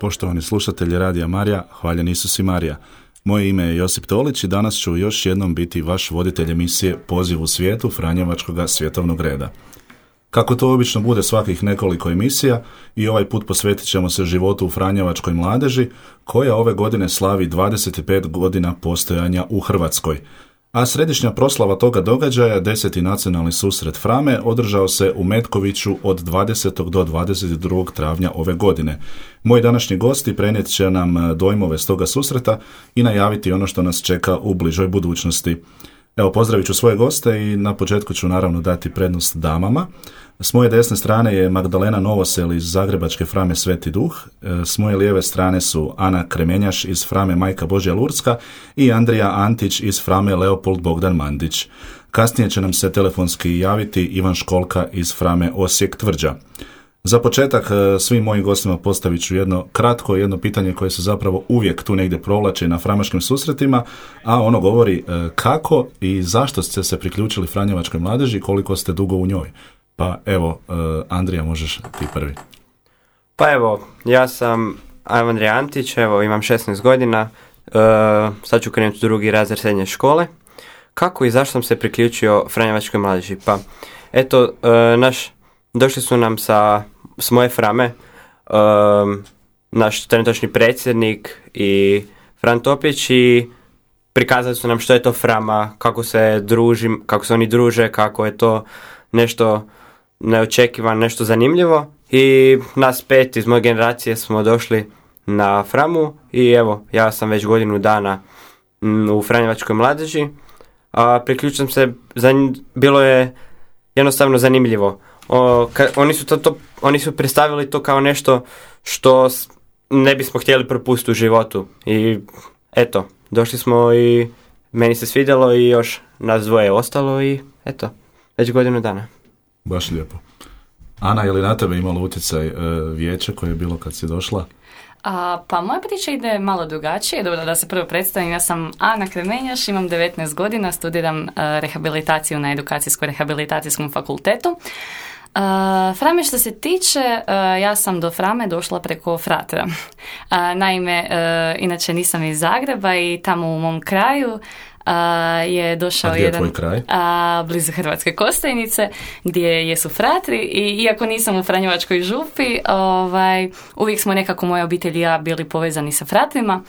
Poštovani slušatelji Radija Marija, hvaljen Isus i Marija. Moje ime je Josip Tolić i danas ću još jednom biti vaš voditelj emisije Poziv u svijetu Franjevačkog svjetovnog reda. Kako to obično bude svakih nekoliko emisija, i ovaj put posvetit ćemo se životu u franjevačkoj mladeži, koja ove godine slavi 25 godina postojanja u Hrvatskoj. A središnja proslava toga događaja, 10. nacionalni susret Frame, održao se u Metkoviću od 20. do 22. travnja ove godine. Moji današnji gosti prenijet će nam dojmove s toga susreta i najaviti ono što nas čeka u bližoj budućnosti. Evo, pozdravit ću svoje goste i na početku ću naravno dati prednost damama. S moje desne strane je Magdalena Novosel iz Zagrebačke Frame Sveti Duh. S moje lijeve strane su Ana Kremenjaš iz Frame Majka Božja Lurska i Andrija Antić iz Frame Leopold Bogdan Mandić. Kasnije će nam se telefonski javiti Ivan Školka iz Frame Osijek Tvrđa. Za početak svim mojim gostima postavit ću jedno pitanje koje se zapravo uvijek tu negdje provlači na framaškim susretima, a ono govori kako i zašto ste se priključili franjevačkoj mladeži i koliko ste dugo u njoj. Pa evo, Andrija, možeš ti prvi. Pa evo, ja sam Andrija Antić, evo imam 16 godina, sad ću krenuti u drugi razred srednje škole. Kako i zašto sam se priključio franjevačkoj mladeži? Pa eto, došli su nam s moje Frame, naš trenutačni predsjednik i Fran Topić, i prikazali su nam što je to Frama, kako se oni druže, kako je to nešto neočekivano, nešto zanimljivo, i nas 5 iz moje generacije smo došli na Framu i evo, ja sam već godinu dana u franjevačkoj mladeži, a priključio sam se, bilo je jednostavno zanimljivo. Oni su predstavili to kao nešto što ne bismo htjeli propustiti u životu i eto, došli smo i meni se svidjelo i još nas dvoje ostalo i eto, već godinu dana. Baš lijepo. Ana, je li na tebe imalo utjecaj vijeće koje je bilo kad si došla? Pa moja priča ide malo drugačije. Dobro, da se prvo predstavim, ja sam Ana Kremenjaš, imam 19 godina, studiram rehabilitaciju na Edukacijsko-rehabilitacijskom fakultetu. Frame što se tiče, ja sam do Frame došla preko fratra. Naime, inače nisam iz Zagreba i tamo u mom kraju je došao jedan blizu Hrvatske Kostajnice gdje jesu fratri, i iako nisam u Franjevačkoj župi, uvijek smo nekako moja obitelj i ja bili povezani sa fratrima,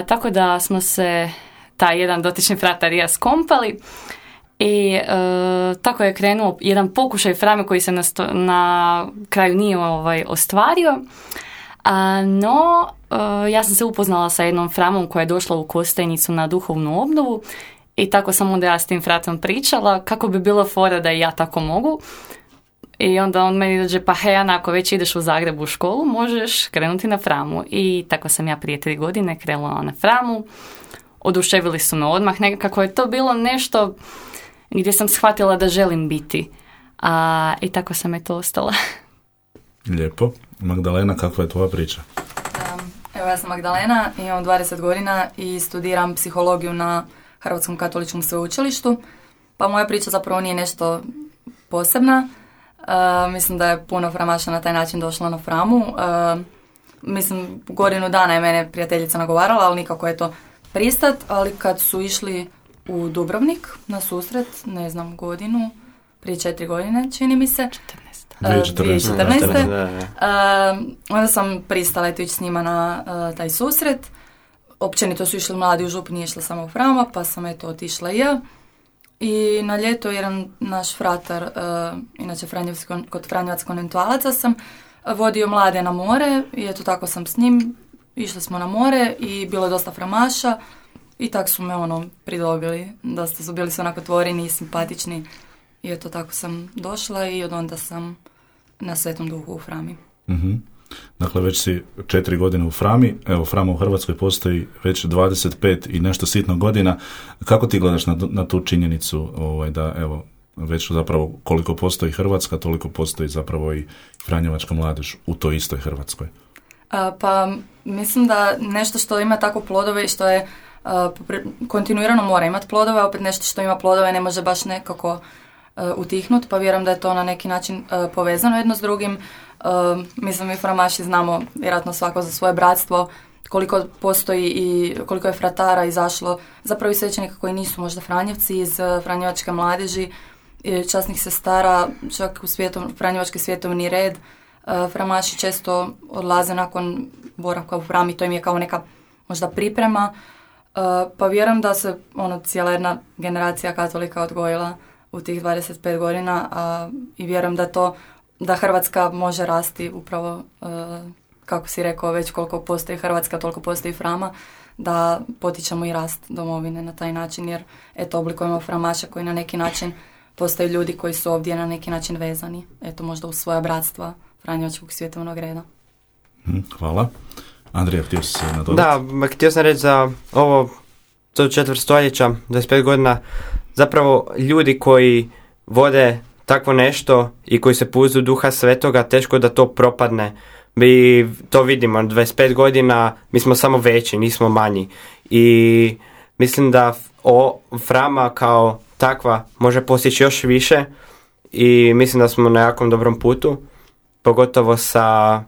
tako da smo se taj jedan dotični fratar i ja skompali i tako je krenuo jedan pokušaj Frame koji se na kraju nije ostvario. No, ja sam se upoznala sa jednom Framom koja je došla u Kostajnicu na duhovnu obnovu i tako sam onda ja s tim fratom pričala kako bi bilo fora da i ja tako mogu. I onda on meni dođe, pa hej Ana, ako već ideš u Zagrebu u školu, možeš krenuti na Framu. I tako sam ja prije 3 godine krenula na Framu. Oduševili su me odmah, nekako je to bilo nešto gdje sam shvatila da želim biti. I tako sam to ostala. Lijepo. Magdalena, kakva je tvoja priča? Evo, ja sam Magdalena, imam 20 godina i studiram psihologiju na Hrvatskom katoličkom sveučilištu. Pa moja priča zapravo nije nešto posebna. Mislim da je puno framaša na taj način došlo na Framu. Mislim, godinu dana je mene prijateljica nagovarala, ali nikako je to pristat. Ali kad su išli u Dubrovnik na susret, ne znam, godinu, prije 4 godine, čini mi se. 2014. Onda sam pristala ići s njima na taj susret. Općenito su išli mladi u župu, nije išla samo u Frama, pa sam otišla i ja. I na ljeto jedan naš fratar, inače kod Franjevac konventualaca, sam vodio mlade na more i tako sam s njim, išli smo na more i bilo je dosta framaša i tako su me pridobili. Dosta su bili onako tvoreni i simpatični. I tako sam došla i od onda sam na Svetom Duhu u Frami. Mm-hmm. Dakle, već si 4 godine u Frami. Evo, Frama u Hrvatskoj postoji već 25 i nešto sitno godina. Kako ti gledaš na tu činjenicu da, evo, već zapravo koliko postoji Hrvatska, toliko postoji zapravo i franjevačka mladež u toj istoj Hrvatskoj? Pa, mislim da nešto što ima tako plodove i što je kontinuirano mora imati plodove, opet nešto što ima plodove ne može baš nekako utihnut, pa vjerujem da je to na neki način povezano jedno s drugim. Mislim, mi framaši znamo vjerojatno svako za svoje bratstvo, koliko postoji i koliko je fratara izašlo, zapravo i svećenika koji nisu možda franjevci iz franjevačke mladeži, časnih sestara, čak u franjevački svjetovni red. Framaši često odlaze nakon boravka u hram i to im je kao neka možda priprema. Pa vjerujem da se cijela jedna generacija katolika odgojila u tih 25 godina i vjerujem da Hrvatska može rasti upravo, kako si rekao, već koliko postoji Hrvatska, toliko postoji frama, da potičemo i rast domovine na taj način, jer oblikujemo framaša koji na neki način postaju ljudi koji su ovdje na neki način vezani, možda u svoja bratstva franjevačkog svjetovnog reda. Hvala. Andrija, htio si se nadodati? Da, htio sam reći za ovo, to 4. stoljeća, 25 godina, zapravo ljudi koji vode takvo nešto i koji se puzu Duha Svetoga, teško da to propadne. Mi to vidimo, 25 godina, mi smo samo veći, nismo manji. I mislim da frama kao takva može postići još više i mislim da smo na jakom dobrom putu, pogotovo sa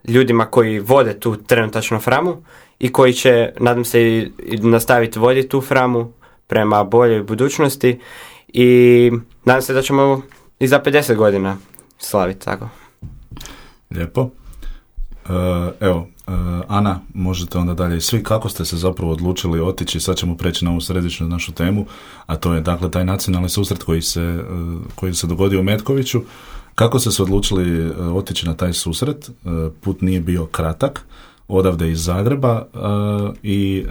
ljudima koji vode tu trenutačnu framu i koji će, nadam se, i nastaviti voditi tu framu prema boljoj budućnosti i nadam se da ćemo i za 50 godina slaviti tako. Lijepo. Ana, možete onda dalje. Svi, kako ste se zapravo odlučili otići? Sad ćemo preći na ovu središnju našu temu, a to je dakle taj nacionalni susret koji se dogodio u Metkoviću. Kako ste se odlučili otići na taj susret? Put nije bio kratak, odavde iz Zagreba i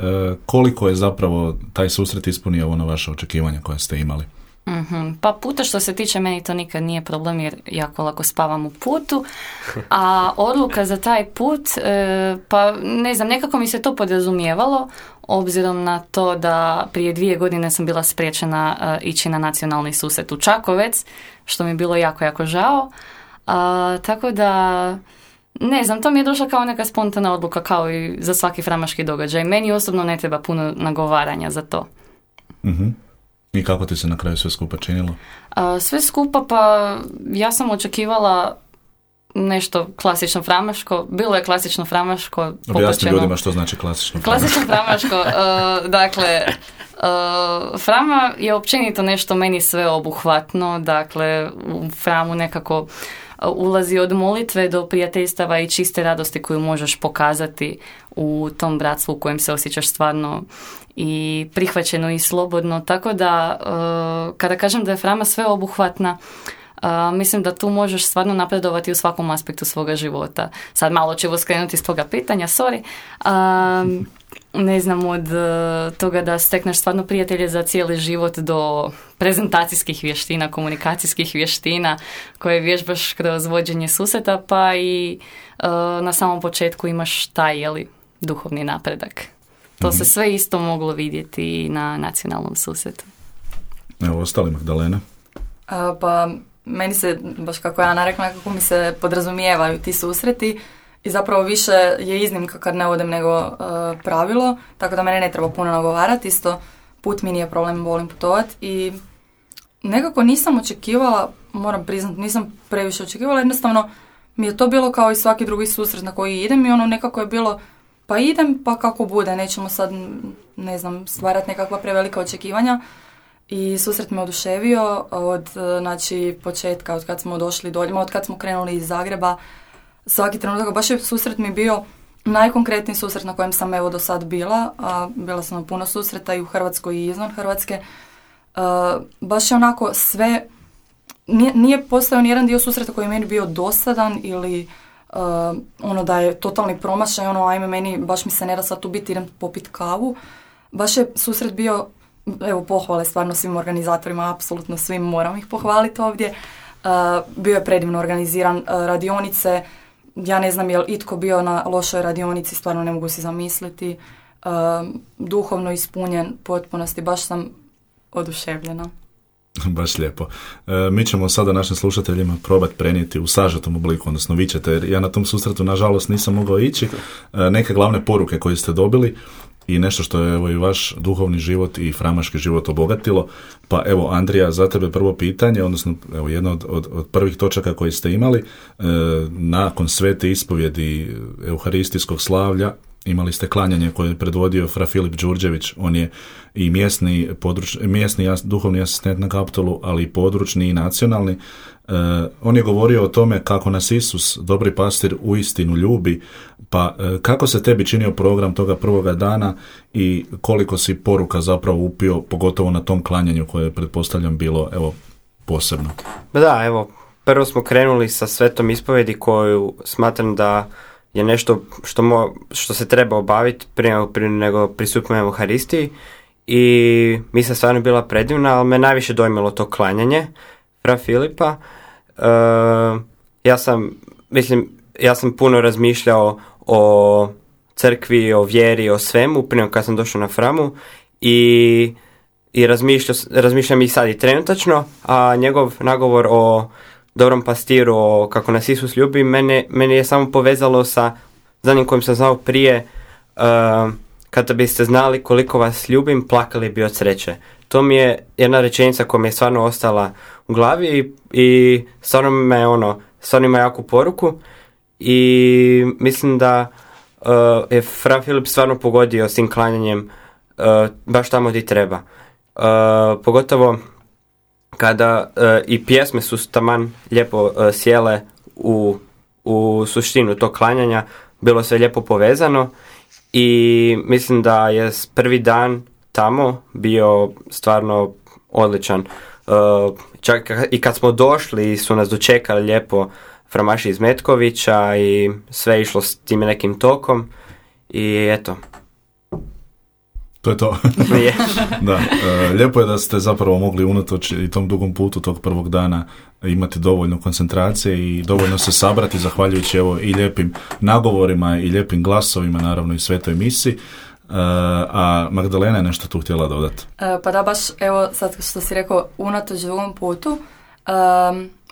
koliko je zapravo taj susret ispunio ono vaše očekivanja koje ste imali? Pa puta što se tiče meni to nikad nije problem jer jako lako spavam u putu, a odluka za taj put, pa ne znam, nekako mi se to podrazumijevalo obzirom na to da prije 2 godine sam bila spriječena ići na nacionalni susret u Čakovec, što mi je bilo jako, jako žao. Tako da, ne znam, to mi je došla kao neka spontana odluka kao i za svaki framaški događaj. Meni osobno ne treba puno nagovaranja za to. I kako ti se na kraju sve skupa činilo? Sve skupa, pa ja sam očekivala nešto klasično framaško. Bilo je klasično framaško. Objasni ljudima što znači klasično framaško. Klasično framaško, dakle, frama je općenito nešto meni sveobuhvatno. Dakle, u framu nekako ulazi od molitve do prijateljstava i čiste radosti koju možeš pokazati u tom bratstvu u kojem se osjećaš stvarno i prihvaćeno i slobodno. Tako da, kada kažem da je frama sveobuhvatna, mislim da tu možeš stvarno napredovati u svakom aspektu svoga života. Sad malo ću skrenuti s toga pitanja, sorry. Ne znam, od toga da stekneš stvarno prijatelje za cijeli život do prezentacijskih vještina, komunikacijskih vještina koje vježbaš kroz vođenje susreta, pa i na samom početku imaš taj duhovni napredak. To se sve isto moglo vidjeti na nacionalnom susretu. Evo, ostali Magdalena. Pa meni se, baš kako je Ana rekla, kako mi se podrazumijevaju ti susreti i zapravo više je iznimka kad ne odem nego pravilo, tako da mene ne treba puno nagovarati, isto put mi nije problem, volim putovati i nekako nisam očekivala, moram priznati, nisam previše očekivala, jednostavno mi je to bilo kao i svaki drugi susret na koji idem i ono nekako je bilo pa idem pa kako bude, nećemo sad, ne znam, stvarati nekakva prevelika očekivanja. I susret me oduševio od početka, od kad smo došli dolje, od kad smo krenuli iz Zagreba. Svaki trenutak, baš je susret mi bio najkonkretniji susret na kojem sam do sad bila, a bila sam na puno susreta i u Hrvatskoj i izvan Hrvatske. Baš je onako sve, nije postojao nijedan dio susreta koji je meni bio dosadan ili da je totalni promašaj, ajme meni, baš mi se ne da sad tu biti, idem popit kavu. Baš je susret bio, evo pohvale stvarno svim organizatorima, apsolutno svim, moram ih pohvaliti ovdje. Bio je predivno organiziran, radionice, ja ne znam je li itko bio na lošoj radionici, stvarno ne mogu si zamisliti. Duhovno ispunjen potpunosti, baš sam oduševljena. Baš lijepo. Mi ćemo sada našim slušateljima probati prenijeti u sažetom obliku, odnosno vi ćete, jer ja na tom susretu nažalost nisam mogao ići, neke glavne poruke koje ste dobili i nešto što je evo i vaš duhovni život i framaški život obogatilo. Pa evo, Andrija, za tebe prvo pitanje, odnosno evo jedno od prvih točaka koji ste imali, nakon svete ispovjedi euharistijskog slavlja imali ste klanjanje koje je predvodio fra Filip Đurđević. On je i mjesni duhovni asistent na Kaptolu, ali i područni i nacionalni. On je govorio o tome kako nas Isus, dobri pastir, uistinu ljubi. Pa kako se tebi činio program toga prvoga dana i koliko si poruka zapravo upio, pogotovo na tom klanjanju koje je, pretpostavljam, bilo evo posebno? Da, evo, prvo smo krenuli sa svetom ispovjedi koju smatram da je nešto što se treba obaviti prije nego pristupimo Euharistiji, i mislim stvarno bila predivna, ali me najviše dojmilo to klanjanje fra Filipa. Ja sam puno razmišljao o crkvi, o vjeri, o svemu prije kad sam došao na Framu, i razmišljam i sad i trenutačno, a njegov nagovor o dobrom pastiru, o kako nas Isus ljubi, meni je samo povezalo sa zadnjim kojim sam znao prije, kada biste znali koliko vas ljubim, plakali bi od sreće. To mi je jedna rečenica koja mi je stvarno ostala u glavi i stvarno ima jaku poruku, i mislim da je fra Filip stvarno pogodio s tim klanjanjem baš tamo gdje treba. Pogotovo kada i pjesme su taman lijepo sjele u suštinu tog klanjanja, bilo sve lijepo povezano, i mislim da je prvi dan tamo bio stvarno odličan. Čak i kad smo došli su nas dočekali lijepo framaši iz Metkovića i sve išlo s tim nekim tokom, i eto. To je to. Da, lijepo je da ste zapravo mogli unatoč i tom dugom putu tog prvog dana imati dovoljno koncentracije i dovoljno se sabrati zahvaljujući evo i lijepim nagovorima i lijepim glasovima, naravno i svetoj misi. A Magdalena je nešto tu htjela dodati. Pa da, baš evo sad što si rekao, unatoč dugom putu,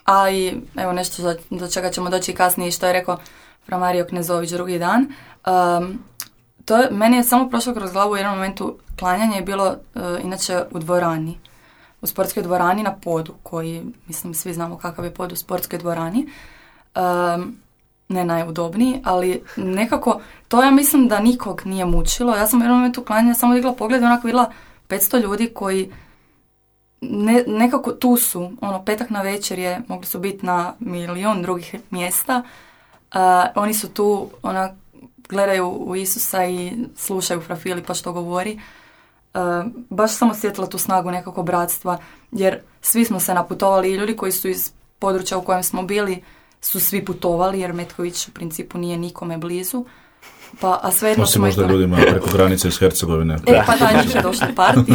a i evo nešto do čega ćemo doći kasnije, što je rekao fra Mario Knezović drugi dan. Meni je samo prošlo kroz glavu u jednom momentu. Klanjanje je bilo inače u dvorani, u sportskoj dvorani na podu, koji, mislim, svi znamo kakav je pod u sportskoj dvorani, ne najudobniji, ali nekako to ja mislim da nikog nije mučilo. Ja sam u jednom momentu klanjanja samo digla pogled i onako vidjela 500 ljudi koji nekako tu su, petak na večer je, mogli su biti na milion drugih mjesta, oni su tu, gledaju u Isusa i slušaju fra Filipa što govori. Baš sam osjetila tu snagu nekako bratstva, jer svi smo se naputovali, i ljudi koji su iz područja u kojem smo bili su svi putovali, jer Metković u principu nije nikome blizu. A svejedno smo možda ljudima preko granice iz Hercegovine. Pa da, njih je došli parti.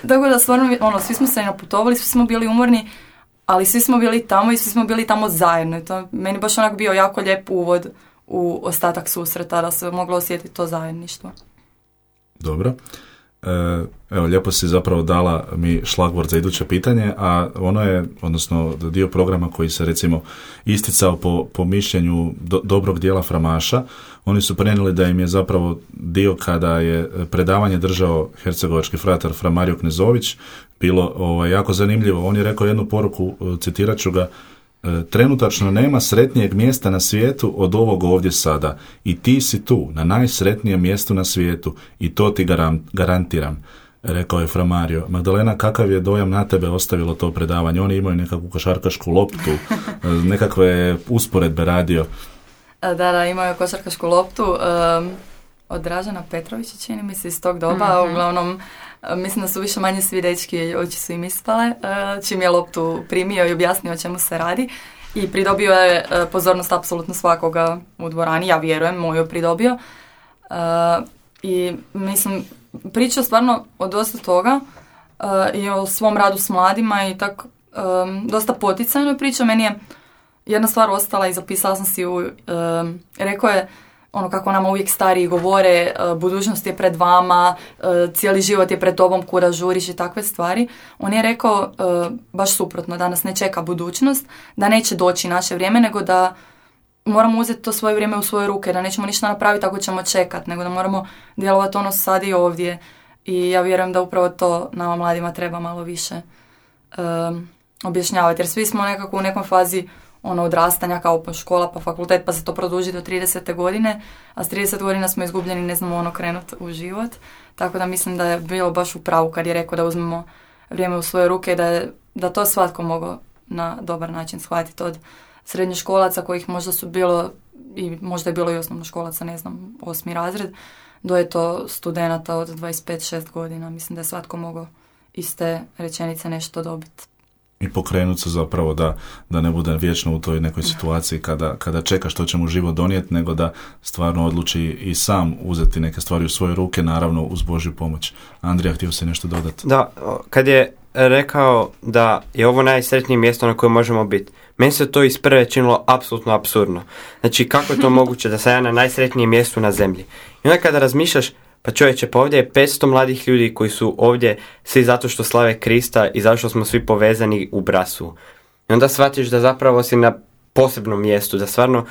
Tako da stvarno, svi smo se naputovali, svi smo bili umorni, ali svi smo bili tamo i svi smo bili tamo zajedno. To meni baš onak bio jako lijep uvod u ostatak susreta, da se moglo osjetiti to zajedništvo. Dobro. Evo, lijepo si zapravo dala mi šlagvort za iduće pitanje, a ono je, odnosno dio programa koji se recimo isticao po mišljenju dobrog dijela framaša. Oni su prenijeli da im je zapravo dio kada je predavanje držao hercegovački fratar fra Mario Knezović bilo jako zanimljivo. On je rekao jednu poruku, citirat ću ga: trenutačno nema sretnijeg mjesta na svijetu od ovog ovdje sada, i ti si tu, na najsretnijem mjestu na svijetu, i to ti garantiram, rekao je fra Mario. Magdalena, kakav je dojam na tebe ostavilo to predavanje? Oni imaju nekakvu košarkašku loptu, nekakve usporedbe radio. Da, imaju košarkašku loptu od Dražana Petrovića, čini mi se, iz tog doba. Uglavnom, mislim da su više manje svi dečki, oči su im ispale, čim je loptu primio i objasnio o čemu se radi, i pridobio je pozornost apsolutno svakoga u dvorani, ja vjerujem, moju pridobio, i mislim, pričao stvarno o dosta toga i o svom radu s mladima i tako dosta poticajno pričao. Meni je jedna stvar ostala i zapisala sam si ju, rekao je kako nama uvijek stariji govore, budućnost je pred vama, cijeli život je pred tobom, kuda žuriš i takve stvari. On je rekao baš suprotno, da nas ne čeka budućnost, da neće doći naše vrijeme, nego da moramo uzeti to svoje vrijeme u svoje ruke, da nećemo ništa napraviti ako ćemo čekati, nego da moramo djelovati ono sad i ovdje. I ja vjerujem da upravo to nama mladima treba malo više objašnjavati, jer svi smo nekako u nekom fazi odrastanja, kao pa škola, pa fakultet, pa se to produži do 30. godine, a s 30 godina smo izgubljeni, ne znamo krenuti u život. Tako da mislim da je bilo baš u pravu kad je rekao da uzmemo vrijeme u svoje ruke i da to svatko mogao na dobar način shvatiti, od srednjoškolaca kojih možda su bilo, i možda je bilo i osnovnoškolaca, ne znam, 8. razred, do je to studenata od 25-6 godina. Mislim da je svatko mogao iz te rečenice nešto dobiti. I pokrenuti se zapravo da ne bude vječno u toj nekoj situaciji kada čeka što će mu život donijeti, nego da stvarno odluči i sam uzeti neke stvari u svoje ruke, naravno uz Božju pomoć. Andrija, htio se nešto dodati? Da, kad je rekao da je ovo najsretnije mjesto na kojem možemo biti, meni se to iz prve činilo apsolutno apsurdno. Znači, kako je to moguće da sam ja na najsretnijem mjestu na zemlji? I onda kada razmišljaš, pa čovječe, pa ovdje je 500 mladih ljudi koji su ovdje svi zato što slave Krista i zato što smo svi povezani u brasu. I onda shvatiš da zapravo si na posebnom mjestu, da stvarno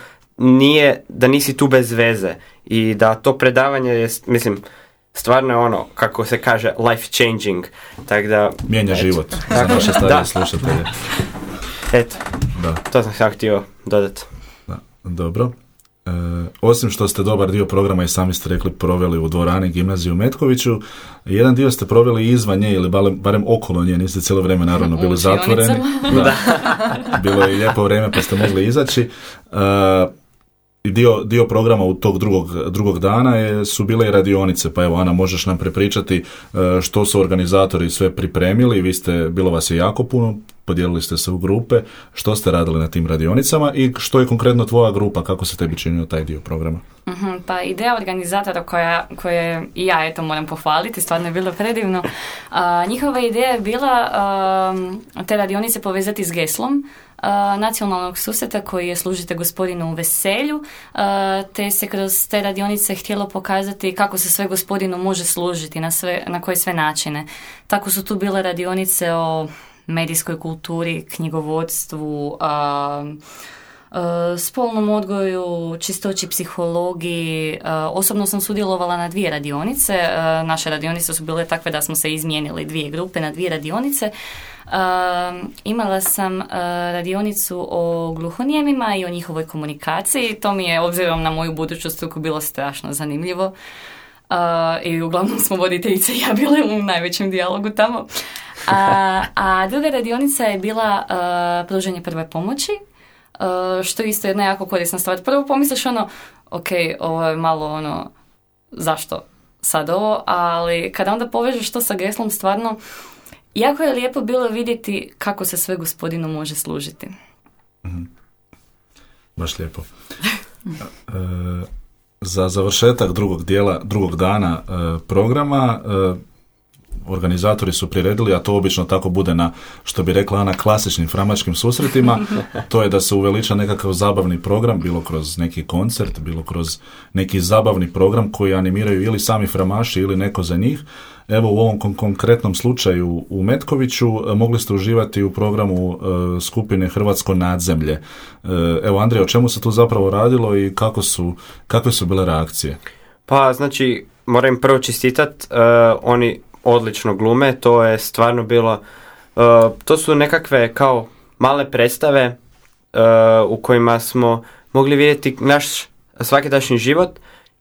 da nisi tu bez veze i da to predavanje je, mislim, stvarno je ono, kako se kaže, life changing. Tak da, mijenja život za naše starije slušatelje. Eto, to sam sam htio dodati. Da, dobro. Osim što ste dobar dio programa i sami ste rekli proveli u dvorani gimnazije u Metkoviću, jedan dio ste proveli izvan nje ili barem okolo nje, niste cijelo vrijeme naravno bili zatvoreni. Da. Bilo je lijepo vrijeme pa ste mogli izaći. Dio programa u tog drugog dana su bile i radionice, pa evo Ana, možeš nam prepričati što su organizatori sve pripremili, bilo vas je jako puno, podijelili ste se u grupe, što ste radili na tim radionicama i što je konkretno tvoja grupa, kako se tebi činio taj dio programa? Pa ideja organizatora koje i ja moram pohvaliti, stvarno je bilo predivno. Njihova ideja je bila te radionice povezati s geslom nacionalnog susreta koji je služite gospodinu veselju, te se kroz te radionice htjelo pokazati kako se sve gospodinu može služiti, na koje sve načine. Tako su tu bile radionice o medijskoj kulturi, knjigovodstvu, spolnom odgoju, čistoći, psihologiji. Osobno sam sudjelovala na 2 radionice. Naše radionice su bile takve da smo se izmijenili 2 grupe na 2 radionice. Imala sam radionicu o gluhonijemima i o njihovoj komunikaciji. To mi je, obzirom na moju buduću struku, bilo strašno zanimljivo. I uglavnom smo voditeljice i ja bile u najvećem dijalogu tamo. A druga radionica je bila pružanje prve pomoći, što je isto jedna jako korisna stvar. Prvo pomisliš ok, ovo je malo zašto sad ovo, ali kada onda povežeš to sa geslom, stvarno jako je lijepo bilo vidjeti kako se sve gospodinu može služiti. Baš lijepo. Za završetak drugog dana programa organizatori su priredili, a to obično tako bude na, što bi rekla Ana, klasičnim framačkim susretima, to je da se uveliča nekakav zabavni program, bilo kroz neki koncert, bilo kroz neki zabavni program koji animiraju ili sami framaši ili neko za njih. Evo u ovom konkretnom slučaju u Metkoviću mogli ste uživati u programu skupine Hrvatsko nadzemlje. Evo Andrija, o čemu se tu zapravo radilo i kakve su bile reakcije? Pa znači, moram prvo čestitat, oni odlično glume, to je stvarno bilo, to su nekakve kao male predstave u kojima smo mogli vidjeti naš svakidašnji život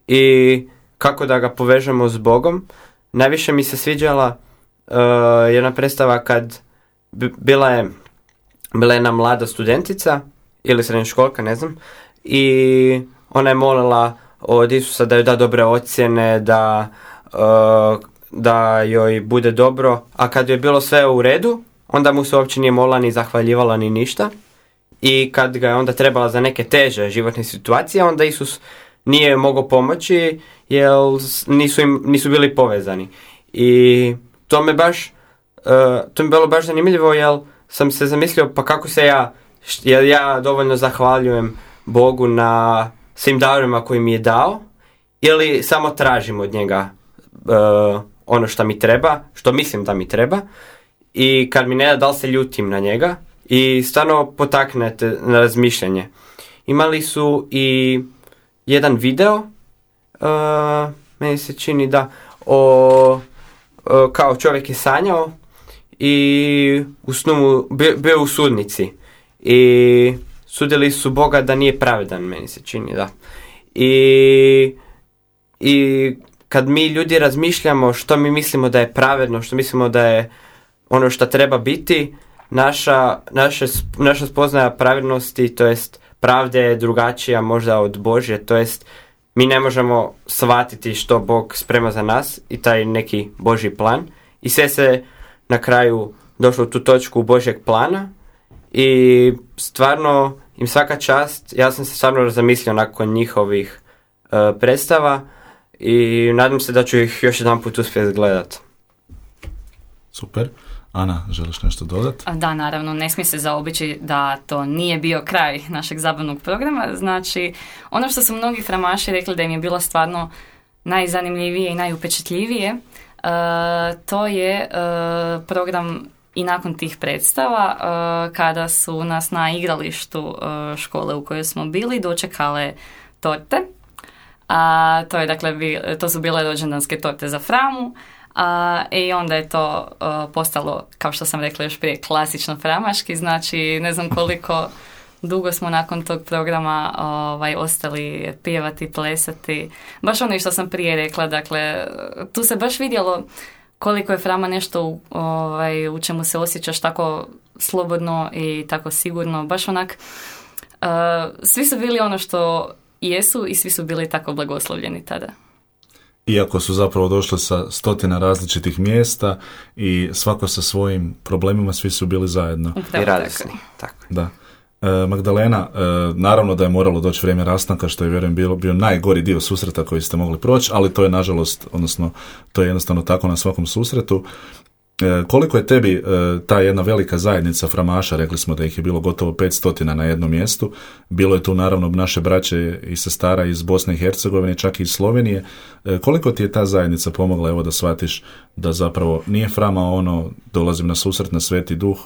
i kako da ga povežemo s Bogom. Najviše mi se sviđala jedna predstava kad bila je jedna mlada studentica ili srednjoškolka, ne znam, i ona je molila od Isusa da joj da dobre ocjene, da joj bude dobro, a kad joj je bilo sve u redu, onda mu se uopće nije molila ni zahvaljivala ni ništa. I kad ga je onda trebala za neke teže životne situacije, onda Isus nije mogao pomoći jer nisu bili povezani. I to mi bilo baš zanimljivo jer sam se zamislio pa kako se ja dovoljno zahvaljujem Bogu na svim darima koji mi je dao ili samo tražim od njega ono što mi treba, što mislim da mi treba i kad mi ne da li se ljutim na njega i stvarno potaknete na razmišljanje. imali su i jedan video, meni se čini da, kao čovjek je sanjao i u snu mu bio u sudnici i sudili su Boga da nije pravedan, meni se čini, da. I kad mi ljudi razmišljamo što mi mislimo da je pravedno, što mislimo da je ono što treba biti, naša spoznaja pravednosti, to jest pravde je drugačija možda od Božje, to jest mi ne možemo shvatiti što Bog sprema za nas i taj neki Božji plan i sve se na kraju došlo u tu točku Božjeg plana i stvarno im svaka čast. Ja sam se stvarno zamislio nakon njihovih predstava i nadam se da ću ih još jedan put uspjeti gledati. Super. Ana, želiš nešto dodati? Da, naravno, ne smije se zaobići da to nije bio kraj našeg zabavnog programa. Znači, ono što su mnogi framaši rekli da im je bilo stvarno najzanimljivije i najupečetljivije, to je program i nakon tih predstava, kada su nas na igralištu škole u kojoj smo bili dočekale torte. To su bile rođendanske torte za Framu. I onda je to postalo, kao što sam rekla još prije, klasično framaški. Znači, ne znam koliko dugo smo nakon tog programa ostali pjevati, plesati. Baš ono što sam prije rekla, dakle, tu se baš vidjelo koliko je Frama nešto u čemu se osjećaš tako slobodno i tako sigurno. Baš onak, svi su bili ono što jesu i svi su bili tako blagoslovljeni tada. Iako su zapravo došli sa 100 različitih mjesta i svako sa svojim problemima, svi su bili zajedno. I radosni. Tako. Da. Magdalena, naravno da je moralo doći vrijeme rastanka, što je, vjerujem, bio najgori dio susreta koji ste mogli proći, ali to je nažalost, odnosno to je jednostavno tako na svakom susretu. Koliko je tebi ta jedna velika zajednica framaša, rekli smo da ih je bilo gotovo 500 na jednom mjestu, bilo je tu naravno naše braće i sestara iz Bosne i Hercegovine, čak i iz Slovenije, koliko ti je ta zajednica pomogla, evo, da shvatiš da zapravo nije Frama ono, dolazim na susret na Sveti Duh,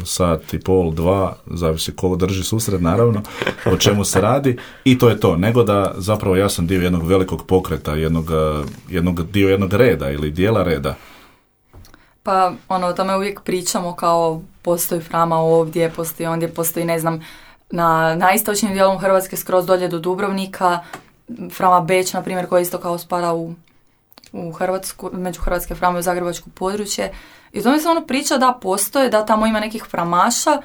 sat i pol, 2, zavisi ko drži susret, naravno, o čemu se radi, i to je to, nego da zapravo ja sam dio jednog velikog pokreta, dio jednog reda ili dijela reda. Pa, o tome uvijek pričamo, kao postoji Frama ovdje, postoji ondje, postoji, ne znam, na istočnim dijelom Hrvatske skroz dolje do Dubrovnika, Frama Beč, na primjer, koja isto kao spada u Hrvatsku, među hrvatske Frame u zagrebačko područje. I to mi se priča da postoje, da tamo ima nekih framaša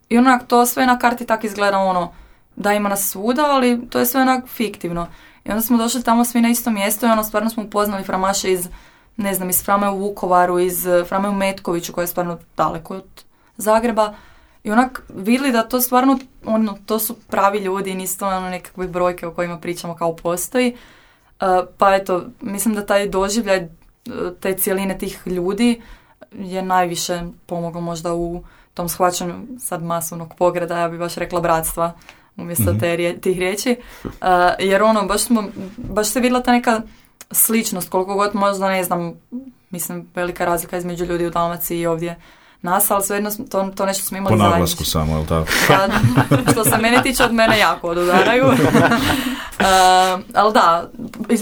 i onak to sve na karti tak izgleda da ima nas svuda, ali to je sve onak fiktivno. I onda smo došli tamo svi na isto mjesto i stvarno smo upoznali framaše iz Frame u Vukovaru, iz Frame u Metkoviću, koja je stvarno daleko od Zagreba. I onak vidjeli da to stvarno, to su pravi ljudi i nisu to nekakve brojke o kojima pričamo kao postoji. Pa eto, mislim da taj doživljaj te cijeline tih ljudi je najviše pomoglo možda u tom shvaćanju sad masovnog pogreda, ja bih baš rekla bratstva umjesto tih riječi. Jer baš se vidjela ta neka sličnost, koliko god možda, ne znam, mislim, velika razlika između ljudi u Dalmaciji i ovdje nas, ali svejedno to nešto smo imali zajedničko. Po naglasku samo, je li tako? Što se mene tiče, od mene jako odudaraju. Ali da,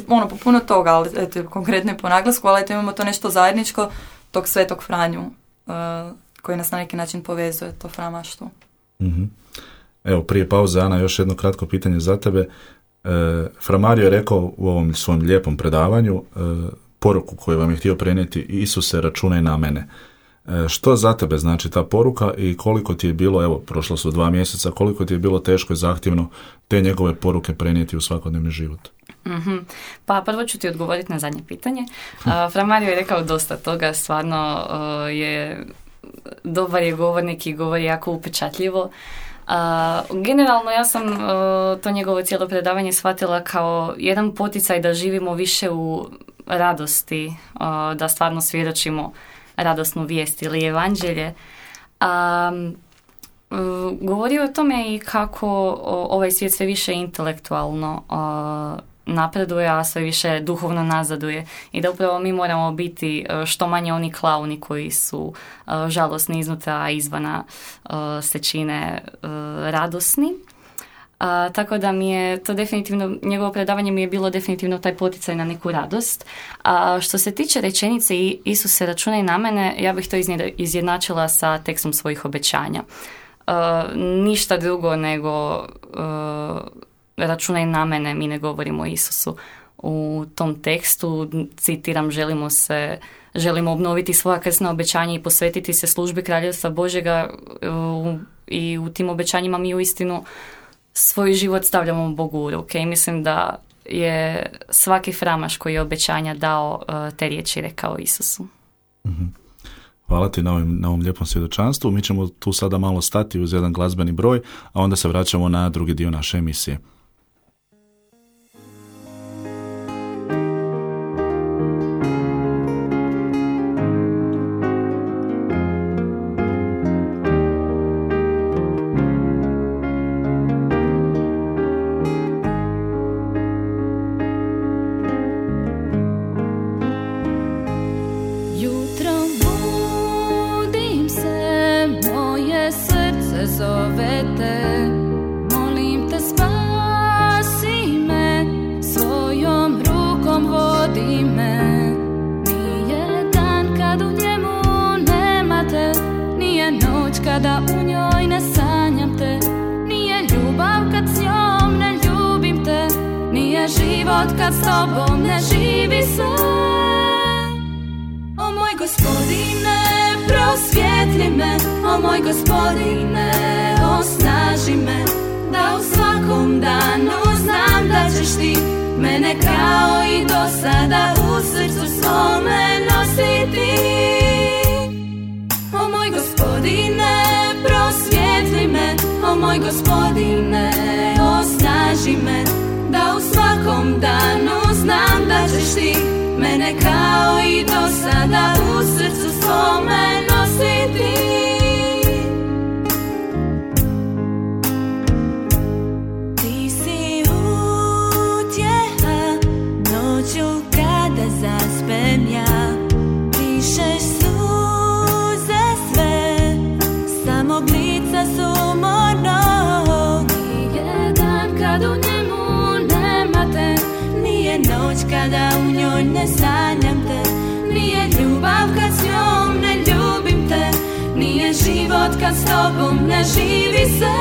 po puno toga, ali eto, konkretno i po naglasku, ali eto, imamo to nešto zajedničko, tog Svetog Franju, koji nas na neki način povezuje, to framaštvo. Mm-hmm. Evo, prije pauze, Ana, još jedno kratko pitanje za tebe. Framario je rekao u ovom svom lijepom predavanju poruku koju vam je htio prenijeti: Isuse, računaj na mene. Što za tebe znači ta poruka i koliko ti je bilo, evo, prošlo su 2 mjeseca, koliko ti je bilo teško i zahtjevno te njegove poruke prenijeti u svakodnevni život? Mm-hmm. Pa prvo ću ti odgovoriti na zadnje pitanje. Framario je rekao dosta toga, stvarno dobar je govornik i govori jako upečatljivo. Generalno ja sam to njegovo cijelo predavanje shvatila kao jedan poticaj da živimo više u radosti, da stvarno svjedočimo radosnu vijest ili evanđelje. Govorio o tome i kako ovaj svijet sve više intelektualno napreduje, a sve više duhovno nazaduje i da upravo mi moramo biti što manje oni klauni koji su žalosni iznutra, a izvana se čine radosni. Tako da mi je to definitivno, njegovo predavanje mi je bilo definitivno taj poticaj na neku radost. A što se tiče rečenice Isuse računaj na mene, ja bih to izjednačila sa tekstom svojih obećanja. Ništa drugo nego računaj na mene, mi ne govorimo o Isusu. U tom tekstu, citiram, želimo obnoviti svoja krsna obećanja i posvetiti se službi Kraljevstva Božjega, i u tim obećanjima mi uistinu svoj život stavljamo Bogu u ruke i mislim da je svaki framaš koji je obećanja dao te riječi rekao Isusu. Mm-hmm. Hvala ti na ovom lijepom svjedočanstvu. Mi ćemo tu sada malo stati uz jedan glazbeni broj, a onda se vraćamo na drugi dio naše emisije. Kada u njoj ne sanjam te, nije ljubav kad s njom ne ljubim te, nije život kad s tobom ne živi se. O moj Gospodine, prosvijetli me, o moj Gospodine, osnaži me, da u svakom danu znam da ćeš ti mene kao i do sada u srcu svome nositi. O moj Gospodine, prosvijetli me, o moj Gospodine, osnaži me, da u svakom danu znam da ćeš ti mene kao i do sada u srcu svome nositi. Ti si utjeha noću kada zaspem ja, pišeš suze sve, samog lica sumornog. Nije dan kad u njemu nema te, nije noć kada u njoj ne sanjam te, nije ljubav kad s njom ne ljubim te, nije život kad s tobom ne živi se.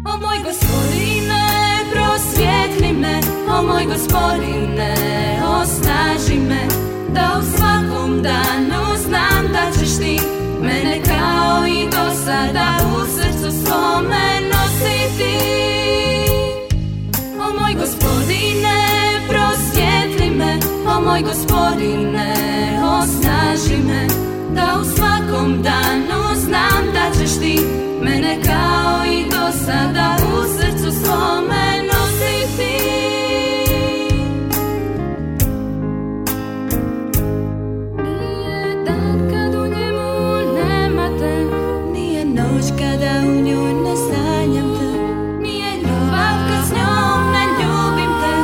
O moj Gospodine, prosvijetli me, o moj Gospodine, osnaži me, da u svakom danu znam da ćeš ti mene kao i do sada u srcu svome nositi. O moj Gospodine, prosvijetli me, o moj Gospodine, osnaži me, da u svakom danu znam da ćeš ti mene kao i do sada u srcu svome nositi. Nije dan kad u njemu nema te, nije noć kada u njoj ne sanjam te, nije ljubav kad s njom ne ljubim te,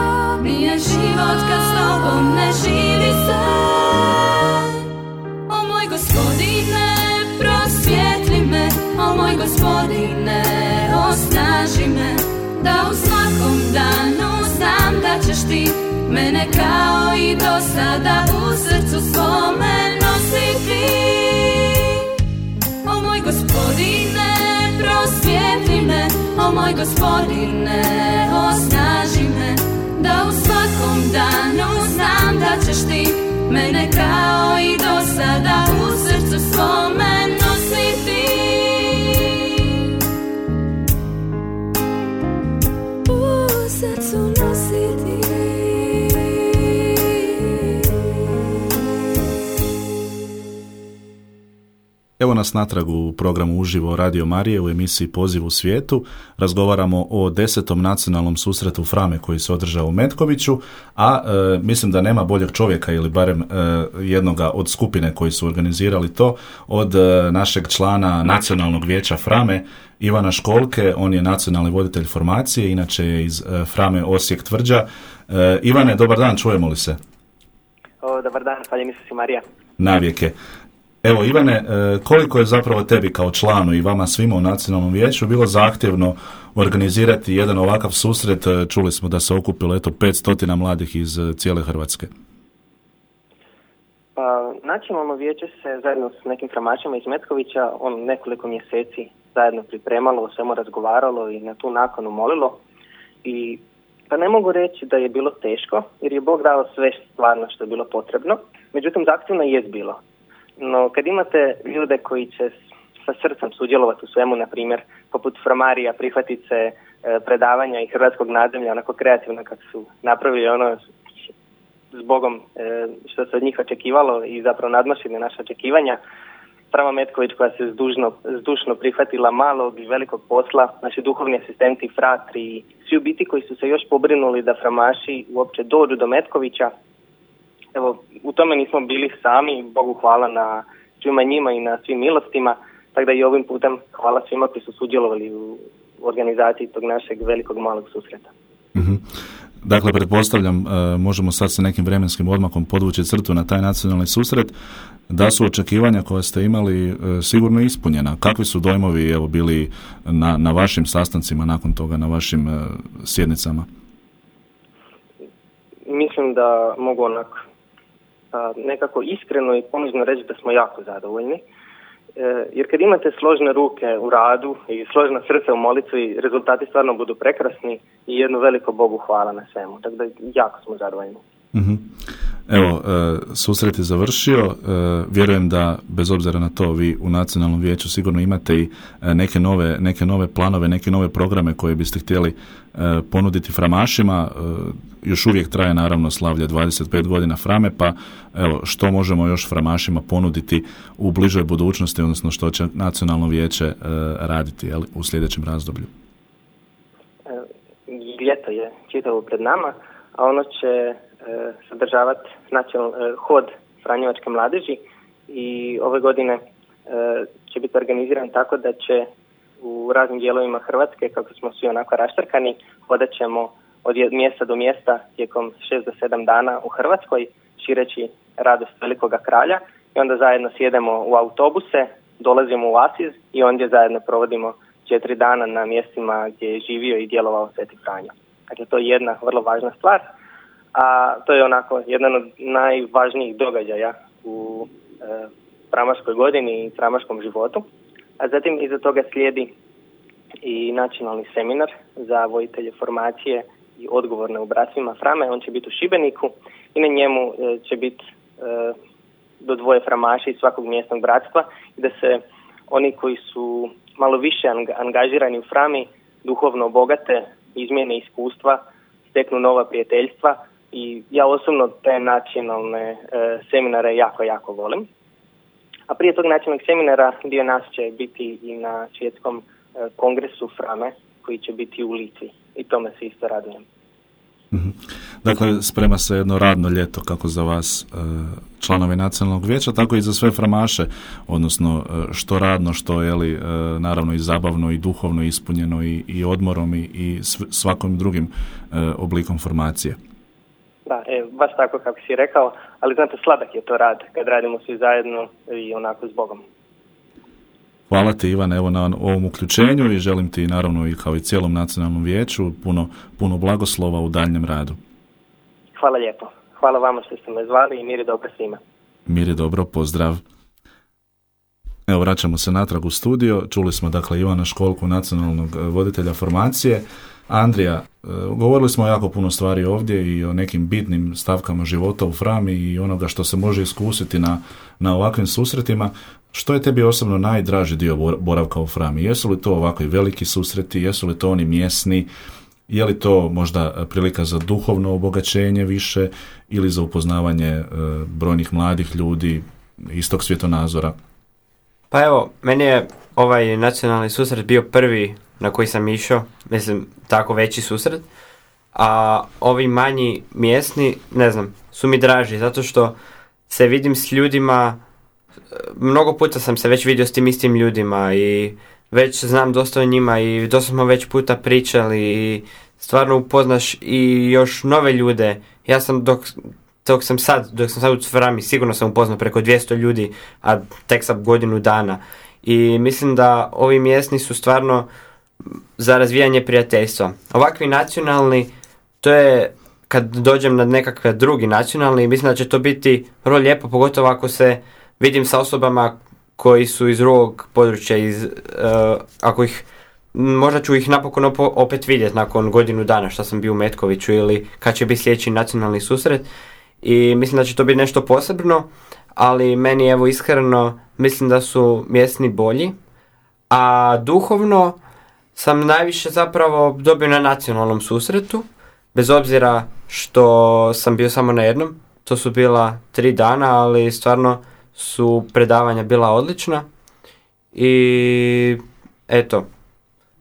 nije život kad s tobom ne živi se. O moj Gospodine, prosvijetli me, o moj Gospodine, osnaži me, da u svakom danu znam da ćeš ti mene kao i do sada u srcu svome nositi. O moj Gospodine, prosvijetli me, o moj Gospodine, osnaži me, da u svakom danu znam da ćeš ti mene kao i do sada u srcu svome nositi. U srcu nositi. Evo nas natrag u programu Uživo Radio Marije u emisiji Poziv u svijetu. Razgovaramo o 10. nacionalnom susretu Frame koji se održao u Metkoviću, a mislim da nema boljeg čovjeka ili barem jednoga od skupine koji su organizirali to od našeg člana Nacionalnog vijeća Frame, Ivana Školke. On je nacionalni voditelj formacije, inače je iz Frame Osijek Tvrđa. Ivane, dobar dan, čujemo li se? Dobar dan, hvala Isus i Marija. Navijeke. Evo Ivane, koliko je zapravo tebi kao članu i vama svima u Nacionalnom vijeću bilo zahtjevno organizirati jedan ovakav susret? Čuli smo da se okupilo 500 mladih iz cijele Hrvatske. Pa, Nacionalno vijeće se zajedno s nekim framačima iz Metkovića nekoliko mjeseci zajedno pripremalo, o svemu razgovaralo i na tu nakanu molilo. I pa ne mogu reći da je bilo teško, jer je Bog dao sve stvarno što je bilo potrebno. Međutim, zahtjevno je bilo. No, kad imate ljude koji će sa srcem sudjelovati u svemu, na primjer, poput Framarija, prihvatiti se predavanja i hrvatskog nadzemlja, onako kreativno kako su napravili ono s Bogom što se od njih očekivalo i zapravo nadmašili naše očekivanja. Frama Metković koja se zdušno prihvatila malog i velikog posla, naši duhovni asistenti, fratri i svi u biti koji su se još pobrinuli da framaši uopće dođu do Metkovića. Evo, u tome nismo bili sami, Bogu hvala na svima njima i na svim milostima, tako da i ovim putem hvala svima koji su sudjelovali u organizaciji tog našeg velikog malog susreta. Mm-hmm. Dakle, pretpostavljam, možemo sad sa nekim vremenskim odmakom podvući crtu na taj nacionalni susret, da su očekivanja koje ste imali sigurno ispunjena. Kakvi su dojmovi bili na vašim sastancima nakon toga, na vašim sjednicama? Mislim da mogu nekako iskreno i ponuđeno reći da smo jako zadovoljni. Jer kad imate složne ruke u radu i složna srca u molitvi, rezultati stvarno budu prekrasni i jedno veliko Bogu hvala na svemu. Tako da jako smo zadovoljni. Mm-hmm. Evo, susret je završio. Vjerujem da, bez obzira na to, vi u Nacionalnom vijeću sigurno imate i neke nove planove, neke nove programe koje biste htjeli ponuditi framašima. Još uvijek traje naravno slavlje 25 godina Frame, pa evo, što možemo još framašima ponuditi u bližoj budućnosti, odnosno što će Nacionalno vijeće raditi u sljedećem razdoblju? Ljeto je čitavo pred nama, a ono će sadržavati hod Franjevačke mladeži i ove godine će biti organiziran tako da će u raznim dijelovima Hrvatske, kako smo svi onako raštrkani, hodat ćemo od mjesta do mjesta tijekom 6 do 7 dana u Hrvatskoj, šireći radost velikoga kralja i onda zajedno sjedemo u autobuse, dolazimo u Asiz i ondje zajedno provodimo 4 dana na mjestima gdje je živio i djelovao Sveti Franjo. Dakle, to je jedna vrlo važna stvar, a to je onako jedan od najvažnijih događaja u framaškoj godini i framaškom životu. A zatim iza toga slijedi i nacionalni seminar za voditelje formacije i odgovorne u bratstvima Frame. On će biti u Šibeniku i na njemu će biti do 2 framaša iz svakog mjesnog bratstva i da se oni koji su malo više angažirani u Frami duhovno obogate, izmjene iskustva, steknu nova prijateljstva i ja osobno te nacionalne seminare jako volim. A prije tog nacionalnog seminara dio nas će biti i na svjetskom kongresu Frame koji će biti u Litvi i tome se isto radujem. Mm-hmm. Dakle, sprema se jedno radno ljeto kako za vas članovi Nacionalnog vijeća, tako i za sve framaše, odnosno što radno, što naravno i zabavno i duhovno ispunjeno i odmorom i svakom drugim oblikom formacije. Da, baš tako kako si rekao, ali znate, sladak je to rad kad radimo svi zajedno i onako s Bogom. Hvala ti, Ivan, evo na ovom uključenju i želim ti naravno i kao i cijelom Nacionalnom vijeću puno blagoslova u daljnjem radu. Hvala lijepo. Hvala vama što ste me zvali i mir je dobro svima. Mir je dobro, pozdrav. Evo, vraćamo se natrag u studio. Čuli smo dakle Ivana Školku, nacionalnog voditelja formacije. Andrija, govorili smo jako puno stvari ovdje i o nekim bitnim stavkama života u Frami i onoga što se može iskusiti na ovakvim susretima. Što je tebi osobno najdraži dio boravka u Frami? Jesu li to ovakvi veliki susreti, jesu li to oni mjesni, je li to možda prilika za duhovno obogaćenje više ili za upoznavanje brojnih mladih ljudi istog svjetonazora? Pa evo, meni je ovaj nacionalni susret bio prvi na koji sam išao, mislim, tako veći susret, a ovi manji mjesni, ne znam, su mi draži, zato što se vidim s ljudima, mnogo puta sam se već vidio s tim istim ljudima i već znam dosta o njima i dosta smo već puta pričali i stvarno upoznaš i još nove ljude. Ja sam dok sam sad u Frami, sigurno sam upoznao preko 200 ljudi, a tek sam godinu dana. I mislim da ovi mjesni su stvarno za razvijanje prijateljstva. Ovakvi nacionalni, to je kad dođem na nekakve drugi nacionalni, mislim da će to biti vrlo lijepo, pogotovo ako se vidim sa osobama koji su iz drugog područja, ako ih, možda ću ih napokon opet vidjeti nakon godinu dana što sam bio u Metkoviću ili kad će biti sljedeći nacionalni susret. I mislim da će to biti nešto posebno, ali meni evo iskreno mislim da su mjesni bolji, a duhovno sam najviše zapravo dobio na nacionalnom susretu, bez obzira što sam bio samo na jednom. To su bila 3 dana, ali stvarno su predavanja bila odlična i eto,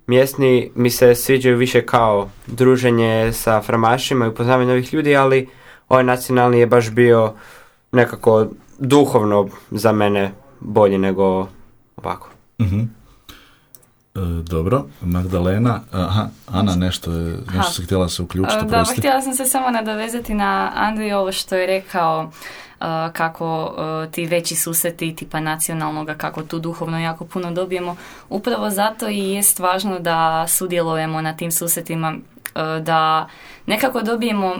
mjesni mi se sviđaju više kao druženje sa framašima i upoznavanje novih ljudi, ali ovaj nacionalni je baš bio nekako duhovno za mene bolji nego ovako. Mm-hmm. Dobro, Magdalena, Ana nešto se htjela se uključiti. Da, htjela sam se samo nadovezati na Andriju ovo što je rekao, kako ti veći susreti tipa nacionalnoga, kako tu duhovno jako puno dobijemo. Upravo zato i jest važno da sudjelujemo na tim susretima, da nekako dobijemo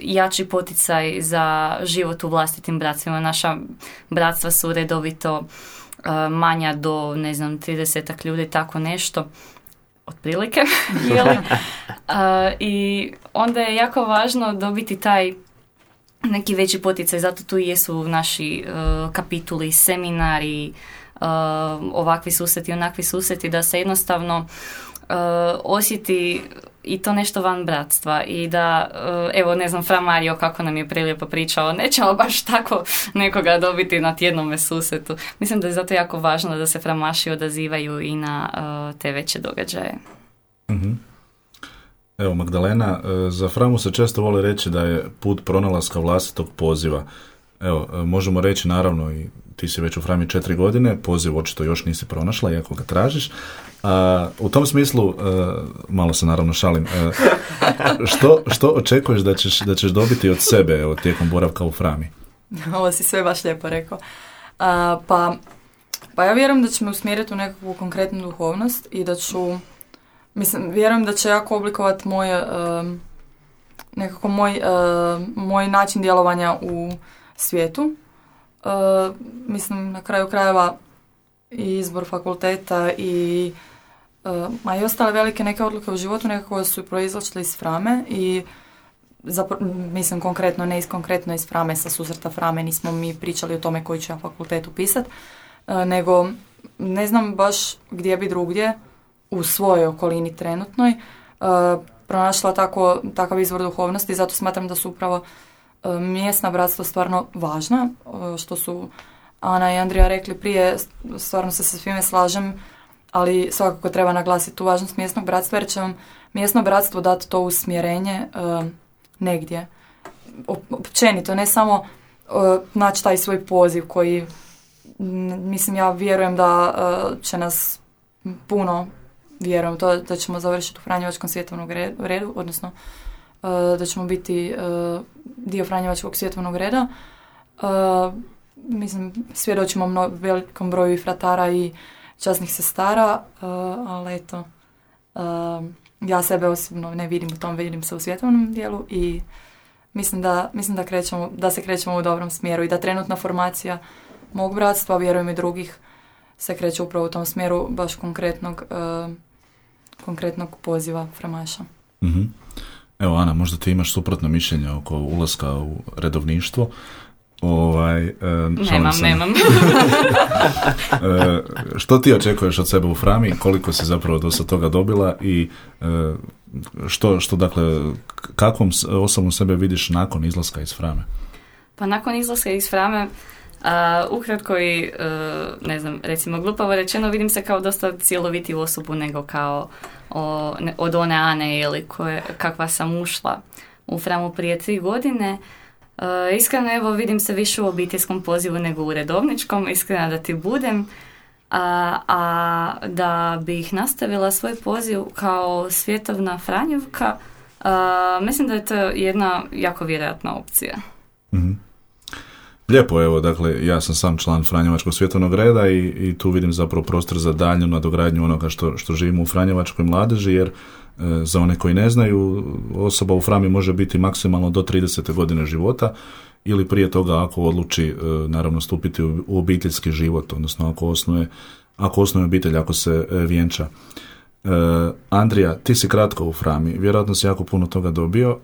jači poticaj za život u vlastitim bratstvima. Naša bratstva su redovito manja do, 30 ljudi, tako nešto, otprilike, i onda je jako važno dobiti taj neki veći poticaj, zato tu i jesu naši kapituli, seminari, ovakvi susreti, onakvi susreti, da se jednostavno osjeti i to nešto van bratstva i da, Fra Mario kako nam je prelijepo pričao, nećemo baš tako nekoga dobiti na tjednome susretu. Mislim da je zato jako važno da se framaši odazivaju i na te veće događaje. Mm-hmm. Evo, Magdalena, za Framu se često voli reći da je put pronalaska vlastitog poziva. Evo, možemo reći naravno i ti si već u Frami 4 godine, poziv očito još nisi pronašla, iako ga tražiš. U tom smislu, malo se naravno šalim, što očekuješ da ćeš dobiti od sebe tijekom boravka u Frami? Ovo si sve baš lijepo rekao. Pa ja vjerujem da će me usmjeriti u nekakvu konkretnu duhovnost i da ću, vjerujem da će jako oblikovati moj način djelovanja u svijetu. Na kraju krajeva i izbor fakulteta i ostale velike neke odluke u životu nekako su proizlačile iz Frame i konkretno, ne konkretno iz Frame, sa susreta Frame nismo mi pričali o tome koji ću ja fakultet upisati, nego ne znam baš gdje bi drugdje u svojoj okolini trenutnoj pronašla takav izvor duhovnosti, zato smatram da su upravo mjesna bratstva stvarno važna, što su Ana i Andrija rekli prije, stvarno se sa svime slažem, ali svakako treba naglasiti tu važnost mjesnog bratstva, jer će vam mjesno bratstvo dati to usmjerenje negdje. Općenito, ne samo naći taj svoj poziv koji, ja vjerujem da će nas puno, vjerujem to da ćemo završiti u Franjevačkom svjetovnom redu, odnosno da ćemo biti dio Franjevačkog svjetovnog reda. Svjedočimo velikom broju i fratara i časnih sestara, ali eto, ja sebe osobno ne vidim u tom, vidim se u svjetovnom dijelu i mislim da se krećemo u dobrom smjeru i da trenutna formacija mog bratstva, vjerujem i drugih, se kreće upravo u tom smjeru baš konkretnog poziva framaša. Mm-hmm. Evo, Ana, možda ti imaš suprotno mišljenje oko ulaska u redovništvo. Nemam. Što ti očekuješ od sebe u Frami, koliko si zapravo do sad toga dobila i što dakle, kakvom osobom sebe vidiš nakon izlaska iz Frame? Pa nakon izlaska iz Frame, ukratko i, recimo glupavo rečeno, vidim se kao dosta cjelovitiju osobu nego kao od one Ane ili kakva sam ušla u Framu prije 3 godine. Iskreno, vidim se više u obiteljskom pozivu nego u redovničkom, iskreno da ti budem, a da bih nastavila svoj poziv kao svjetovna Franjevka, Mislim da je to jedna jako vjerojatna opcija. Mm-hmm. Lijepo, evo, dakle, ja sam sam član Franjevačkog svjetovnog reda i tu vidim zapravo prostor za daljnju nadogradnju onoga što živimo u Franjevačkoj mladeži, jer za one koji ne znaju, osoba u Frami može biti maksimalno do 30. godine života ili prije toga ako odluči naravno stupiti u obiteljski život, odnosno ako osnuje obitelj, ako se vjenča. Andrija, ti si kratko u Frami, vjerojatno si jako puno toga dobio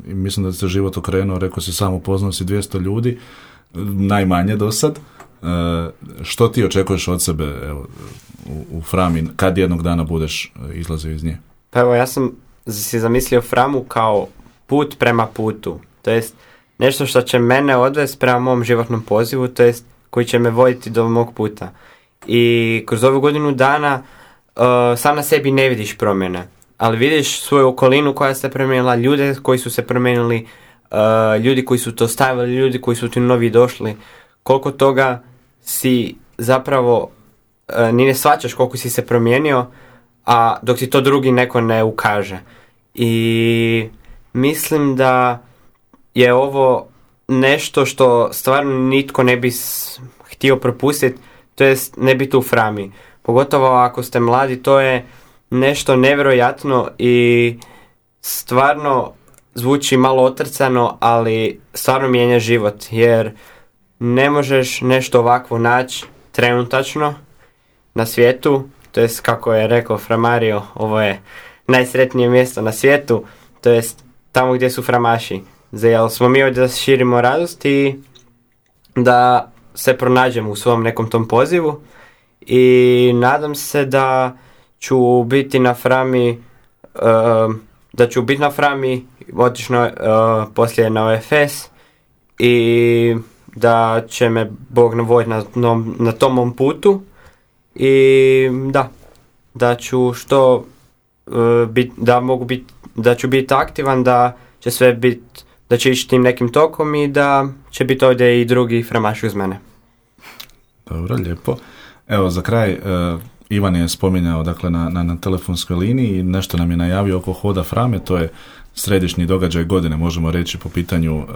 i mislim da se život okrenuo, rekao si samo upoznao si 200 ljudi, najmanje do sad. Što ti očekuješ od sebe u Frami kad jednog dana budeš izlazio iz nje? Pa evo, ja sam si zamislio Framu kao put prema putu, to jest nešto što će mene odvesti prema mom životnom pozivu, to jest koji će me voditi do mog puta. I kroz ovu godinu dana sam na sebi ne vidiš promjene, ali vidiš svoju okolinu koja se promijenila, ljude koji su se promijenili, ljudi koji su to stavili, ljudi koji su ti novi došli, koliko toga si zapravo ni ne shvaćaš koliko si se promijenio, a dok ti to drugi neko ne ukaže. I mislim da je ovo nešto što stvarno nitko ne bi htio propustiti, to jest ne biti u Frami. Pogotovo ako ste mladi, to je nešto nevjerojatno i stvarno zvuči malo otrcano, ali stvarno mijenja život, jer ne možeš nešto ovakvo naći trenutačno na svijetu, to jest kako je rekao Framario, ovo je najsretnije mjesto na svijetu, to jest tamo gdje su framaši. Jer smo mi ovdje da širimo radost i da se pronađemo u svom nekom tom pozivu. I nadam se da ću biti na Frami, otišno poslije na OFS i da će me Bog navoditi na tom mom putu i da ću da ću biti aktivan, da će sve biti, da će ići tim nekim tokom i da će biti ovdje i drugi framaši uz mene. Dobro, lijepo. Evo, za kraj, Ivan je spominjao dakle, na telefonskoj liniji, nešto nam je najavio oko hoda Frame, to je središnji događaj godine, možemo reći, po pitanju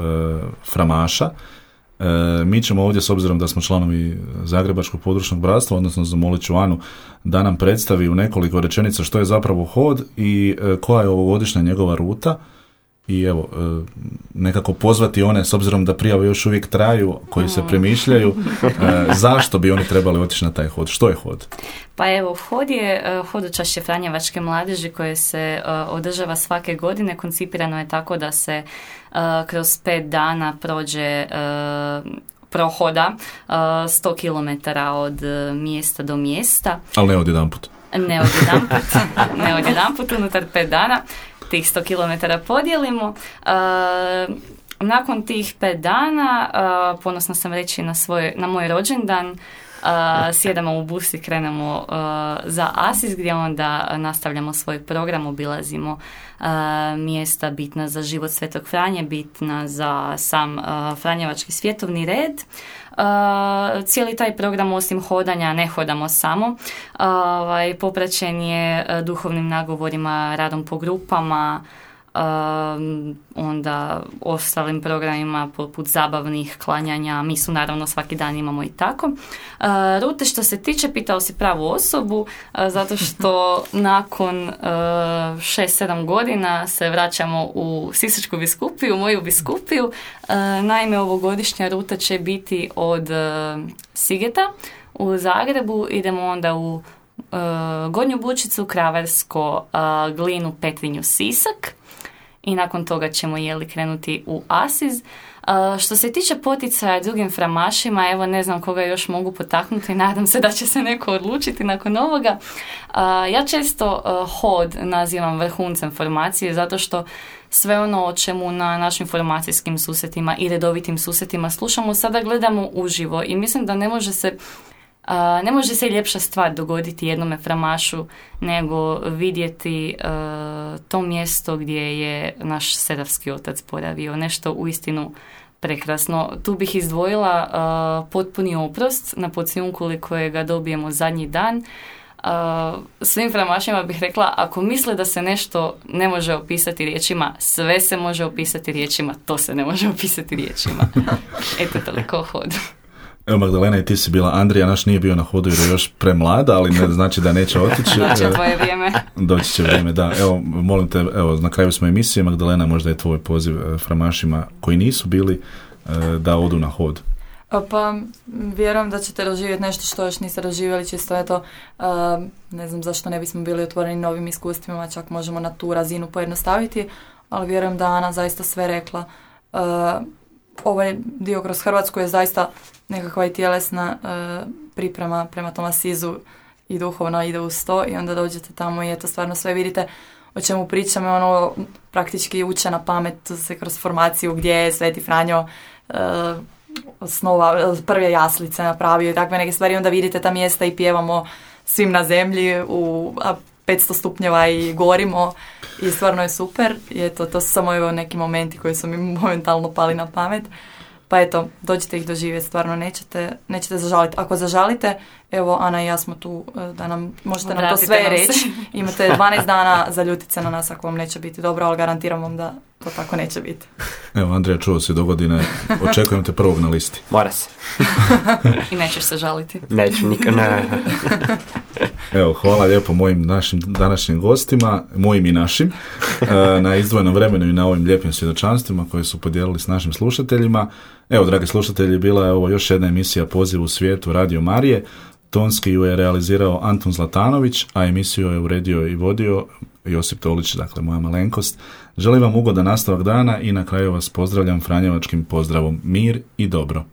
framaša. Mi ćemo ovdje, s obzirom da smo članovi Zagrebačkog područnog bratstva, odnosno zamolit ću Anu da nam predstavi u nekoliko rečenica što je zapravo hod i koja je ovogodišnja njegova ruta. I evo, nekako pozvati one, s obzirom da prijave još uvijek traju, koji se premišljaju, zašto bi oni trebali otići na taj hod? Što je hod? Pa evo, hod je hodočašće Franjevačke mladeži koje se održava svake godine. Koncipirano je tako da se kroz 5 dana prohoda 100 km od mjesta do mjesta. Ali ne odjedanput. Ne odjedanput, unutar 5 dana. Tih 100 km podijelimo. Nakon tih 5 dana, ponosna sam reći na moj rođendan, sjedamo u bus i krenemo za Asis, gdje onda nastavljamo svoj program, obilazimo mjesta bitna za život Svetog Franje, bitna za sam Franjevački svjetovni red. Cijeli taj program, osim hodanja, ne hodamo samo, popraćen je duhovnim nagovorima, radom po grupama, onda ostalim programima poput zabavnih klanjanja, mi su naravno svaki dan imamo i tako. Rute što se tiče, pitao si pravu osobu, zato što nakon 6-7 godina se vraćamo u Sisačku biskupiju, moju biskupiju. Naime, ovogodišnja ruta će biti od Sigeta u Zagrebu, idemo onda u Gornju Bučicu, Kravarsko, Glinu, Petrinju, Sisak. I nakon toga ćemo krenuti u Asiz. Što se tiče poticaja drugim framašima, evo ne znam koga još mogu potaknuti, nadam se da će se neko odlučiti nakon ovoga. Ja često hod nazivam vrhuncem formacije, zato što sve ono o čemu na našim formacijskim susretima i redovitim susretima slušamo, sada gledamo uživo i mislim da ne može se ljepša stvar dogoditi jednome framašu nego vidjeti to mjesto gdje je naš sedavski otac boravio. Nešto uistinu prekrasno. Tu bih izdvojila potpuni oprost na Pocijunkuli kojega dobijemo zadnji dan. svim framašima bih rekla, ako misle da se nešto ne može opisati riječima, sve se može opisati riječima, to se ne može opisati riječima. Eto, toliko o hodu. Evo, Magdalena, i ti si bila. Andrija naš nije bio na hodu jer je još premlada, ali ne znači da neće otići. Doći tvoje vrijeme. Doći će vrijeme, da. Evo, molim te, evo, na kraju smo emisije. Magdalena, možda je tvoj poziv framašima koji nisu bili da odu na hod. Pa, vjerujem da ćete doživjeti nešto što još niste doživjeli, čisto eto, ne znam zašto ne bismo bili otvoreni novim iskustvima, čak možemo na tu razinu pojednostaviti, ali vjerujem da Ana zaista sve rekla. Ovaj dio kroz Hrvatsku je zaista nekakva i tjelesna priprema prema tom asizu i duhovno ide uz to i onda dođete tamo i eto stvarno sve vidite o čemu pričamo, ono praktički uče na pamet se kroz formaciju gdje je Sveti Franjo osnova, prve jaslice napravio i takve neke stvari, onda vidite ta mjesta i pjevamo svim na zemlji u 500 stupnjeva i gorimo i stvarno je super. I eto, to su samo evo neki momenti koji su mi momentalno pali na pamet. Pa eto, dođite ih doživjeti, stvarno nećete zažaliti. Ako zažalite, evo Ana i ja smo tu da nam možete nam to sve reći. Imate 12 dana za ljutit se na nas ako vam neće biti dobro, ali garantiram vam da to tako neće biti. Evo, Andrija, čuo si do godine, očekujem te prvog na listi. Mora se. I nećeš se žaliti. Neću nikad, ne. Evo, hvala lijepo mojim našim današnjim gostima, mojim i našim, na izdvojenom vremenu i na ovim lijepim svjedočanstvima koje su podijelili s našim slušateljima. Evo, dragi slušatelji, bila je ovo još jedna emisija Poziv u svijetu Radio Marije. Tonski ju je realizirao Antun Zlatanović, a emisiju je uredio i vodio Josip Tolić, dakle moja malenkost. Želim vam ugodan nastavak dana i na kraju vas pozdravljam franjevačkim pozdravom. Mir i dobro.